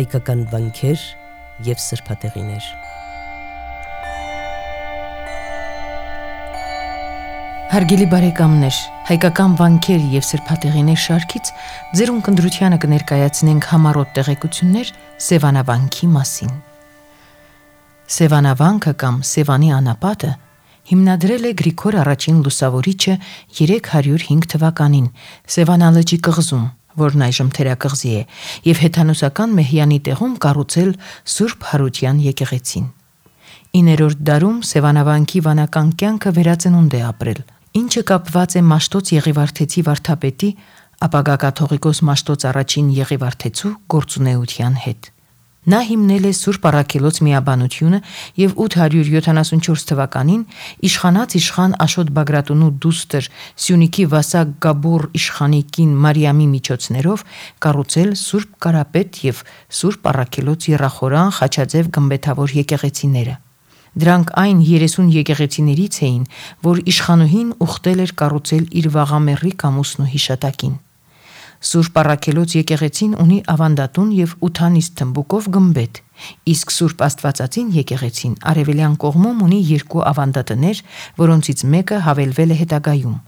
հայկական վանքեր և սրբատեղիներ։ Հարգելի բարեկամներ, հայկական վանքեր և սրբատեղիներ շարքից ձեր ունկնդրությանը կներկայացնենք համառոտ տեղեկություններ Սևանավանքի մասին։ Սևանավանքը կամ Սևանի անապատը հիմնադրել է Գրիգոր առաջին լուսավորիչը 305 թվականին Սևանալճի կղզում, որն այժմ թերակղզի է, և հեթանոսական Մեհյանի տեղում կառուցել Սուրբ Հարության եկեղեցին։ 9-րդ դարում Սևանավանքի վանական կյանքը վերածնունդ է ապրել, ինչը կապված է Մաշտոց Եղիվարդեցի վարդապետի, ապագա կաթողիկոս Մաշտոց առաջին Եղիվարդեցու գործունեության հետ։ Նա հիմնել է Սուրբ Առաքելոց միաբանությունը և 874 թվականին իշխանած իշխան Աշոտ Բագրատունու դուստր Սյունիքի Վասակ Գաբոր իշխանի կին Մարիամի միջոցներով կառուցել Սուրբ Կարապետ և Սուրբ Առաքելոց եռախորան խաչաձև գմբեթավոր եկեղեցիները։ Դրանք այն 30 եկեղեցիներից էին, որ իշխանուհին ուխտել էր կառուցել իր վաղամեռիկ ամուսնու հիշատակին։ Սուրբ Առաքելոց եկեղեցին ունի ավանդատուն և ութանիստ թմբուկով գմբեթ, իսկ Սուրբ Աստվածածին եկեղեցին արևելյան կողմում ունի 2 ավանդատներ, որոնցից մեկը հավելվել է հետագայում։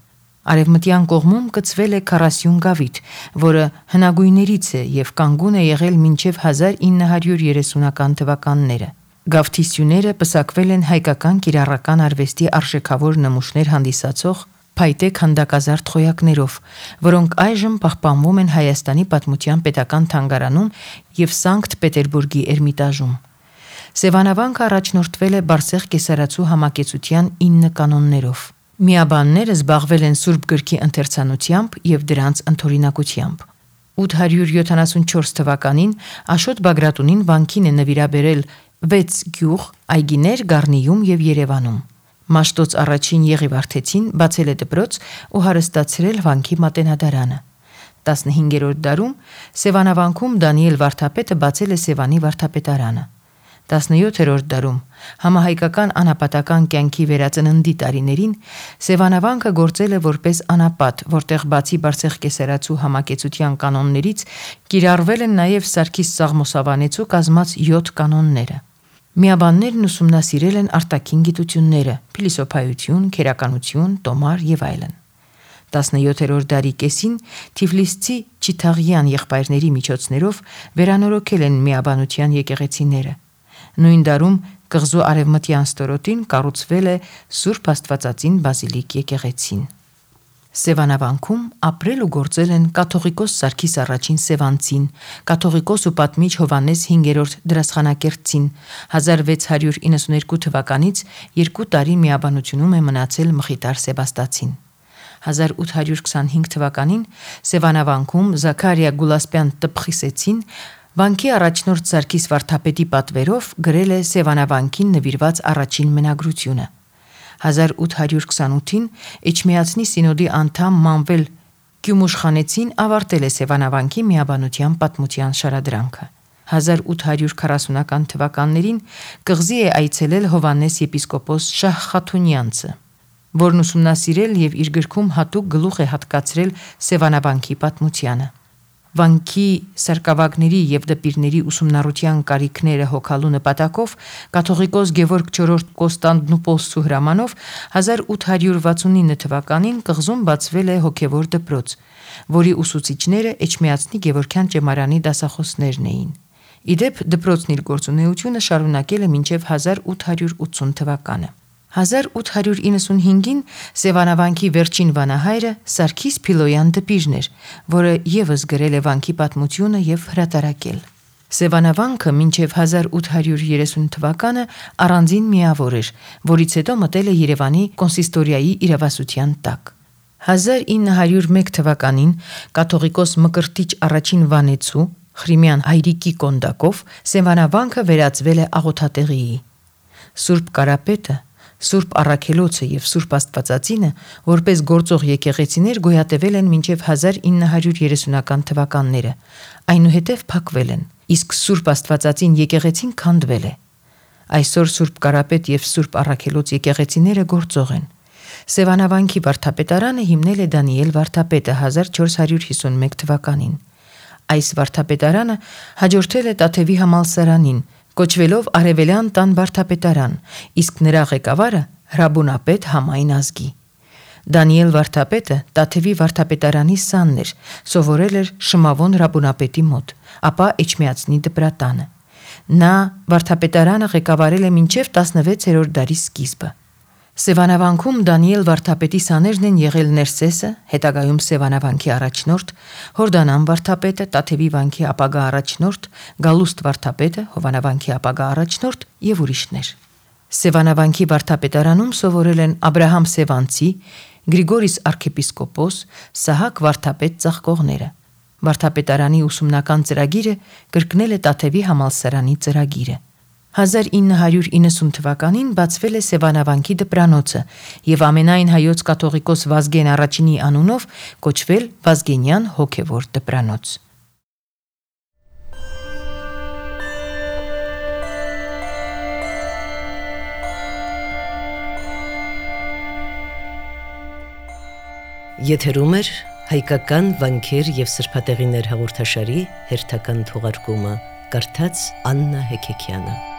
Արևմտյան կողմում կցվել է 40 գավիթ, որը հնագույններից է և կանգուն է եղել մինչև 1930-ական թվականները։ Գավթի սյուները պսակվել են հայկական կիրառական արվեստի արժեքավոր նմուշներ հանդիսացող փայտե քանդակազարդ խոյակներով, որոնք այժմ պահպանվում են Հայաստանի Պատմության պետական թանգարանում և Սանկտ Պետերբուրգի Էրմիտաժում։ Սևանավանքը առաջնորդվել է Բարսեղ կեսարացու համակեցության 9 կանոններով։ Միաբանները զբաղվել են Սուրբ գրքի ընթերցանությամբ և դրանց ընդօրինակությամբ։ 874 թվականին Աշոտ Բագրատունին վանքին է նվիրաբերել 6 գյուղ, այգիներ Գառնիում և Երևանում։ Մաշտոց առաջին Եղիվարդեցին բացել է դպրոց ու հարստացրել վանքի մատենադարանը։ 15-րդ դարում Սևանավանքում Դանիել վարդապետը բացել է Սևանի վարդապետարանը։ 17-րդ դարում համահայկական անապատական կյանքի վերածննդի տարիներին Սևանավանքը գործել է որպես անապատ, որտեղ բացի Բարսեղ կեսարացու համակեցության կանոններից կիրառվել են նաև Սարգիս Սաղմոսավանեցու կազմած 7 կանոնները։ Միաբաններն ուսումնասիրել են արտաքին գիտությունները՝ փիլիսոփայություն, քերականություն, տոմար և այլն։ 17-րդ դարի կեսին Թիֆլիսցի Չիթաղյան եղբայրների միջոցներով վերանորոգել են միաբանության եկեղեցիները։ Նույն դարում կղզու արևմտյան ստորոտին կառուցվել է Սուրբ Աստվածածին բազիլիկ եկեղեցին։ Սևանավանքում ապրել ու գործել են կաթողիկոս Սարգիս առաջին Սևանցին, կաթողիկոս ու պատմիչ Հովհաննես 5-րդ Դրասխանակերտցին, 1692 թվականից 2 տարի միաբանությունում է մնացել Մխիտար Սեբաստացին։ 1825 թվականին Սևանավանքում Զաքարիա Գուլասպյան Տպխիսեցին վանքի առաջնորդ Սարգիս վարդապետի պատվերով գրել է Սևանավանքին նվիրված առաջին մենագրությունը։ 1828-ին Էջմիածնի սինոդի անդամ Մանվել Կյումուշխանեցին ավարտել է Սևանավանքի միաբանության պատմության շարադրանքը։ 1840-ական թվականներին կղզի է այցելել Հովհաննես եպիսկոպոս Շահ Խաթունյանցը, որն ուսումնասիրել և իր գրքում հատուկ գլուխ է հատկացրել Սևանավանքի պատմությանը։ Վանքի սարկավագների և դպիրների ուսումնառության կարիքները հոգալու նպատակով կաթողիկոս Գևորգ IV Կոստանդնուպոլսու հրամանով 1869 թվականին կղզում բացվել է հոգևոր դպրոց, որի ուսուցիչները Էջմիածնի Գևորգյան ճեմարանի դասախոսներն էին։ Ի դեպ, դպրոցն իր գործունեությունը շարունակել է մինչև 1880 թվականը։ 1895-ին Սևանավանքի վերջին վանահայրը Սարգիս Փիլոյան դպիրն էր, որը ևս գրել է վանքի պատմությունը և հրատարակել։ Սևանավանքը մինչև 1830 թվականը առանձին միավոր էր, որից հետո մտել է Երևանի կոնսիստորիայի իրավասության տակ։ 1901 թվականին կաթողիկոս Մկրտիչ առաջին Վանեցու Խրիմյան Հայրիկի կոնդակով Սևանավանքը վերածվել է աղոթատեղիի։ Սուրբ Կարապետը, Սուրբ Առաքելոցը և Սուրբ Աստվածածինը որպես գործող եկեղեցիներ գոյատևել են մինչև 1930-ական թվականները, այնուհետև փակվել են, իսկ Սուրբ Աստվածածին եկեղեցին քանդվել է։ Այսօր Սուրբ Կարապետ և Սուրբ Առաքելոց եկեղեցիները գործող են։ Սևանավանքի վարդապետարանը հիմնել է Դանիել վարդապետը 1451 թվականին։ Այս վարդապետարանը հաջորդել է Տաթևի համալսարանին, կոչվելով Արևելյան տան վարդապետարան, իսկ նրա ղեկավարը հրաբունապետ համայն ազգի։ Դանիել վարդապետը Տաթևի վարդապետարանի սանն էր, սովորել էր Շմավոն հրաբունապետի մոտ, ապա Էջմիածնի դպրատանը։ Նա վարդապետարանը ղեկավարել է մինչև 16-րդ դարի սկիզբը։ Սևանավանքում Դանիել վարդապետի սաներն են եղել Ներսեսը, հետագայում Սևանավանքի առաջնորդ, Հորդանան վարդապետը, Տաթևի վանքի ապագա առաջնորդ, Գալուստ վարդապետը, Հովանավանքի ապագա առաջնորդ եւ ուրիշներ։ Սևանավանքի վարդապետարանում սովորել են Աբրահամ Սևանցի, Գրիգորիս arczepiskopos, Սահակ վարդապետ ծաղկողները։ Վարդապետարանի ուսումնական ծրագիրը կրկնել է Տաթևի համալսարանի ծրագիրը։ 1990 թվականին բացվել է Սևանավանքի դպրանոցը եւ ամենայն հայոց կաթողիկոս Վազգեն առաջինի անունով կոչվել Վազգենյան հոգևոր դպրանոց։ Եթերում է հայկական վանքեր եւ սրբատեղիներ հաղորդաշարի հերթական թողարկումը, կարդաց Աննա Հեքեքյանը։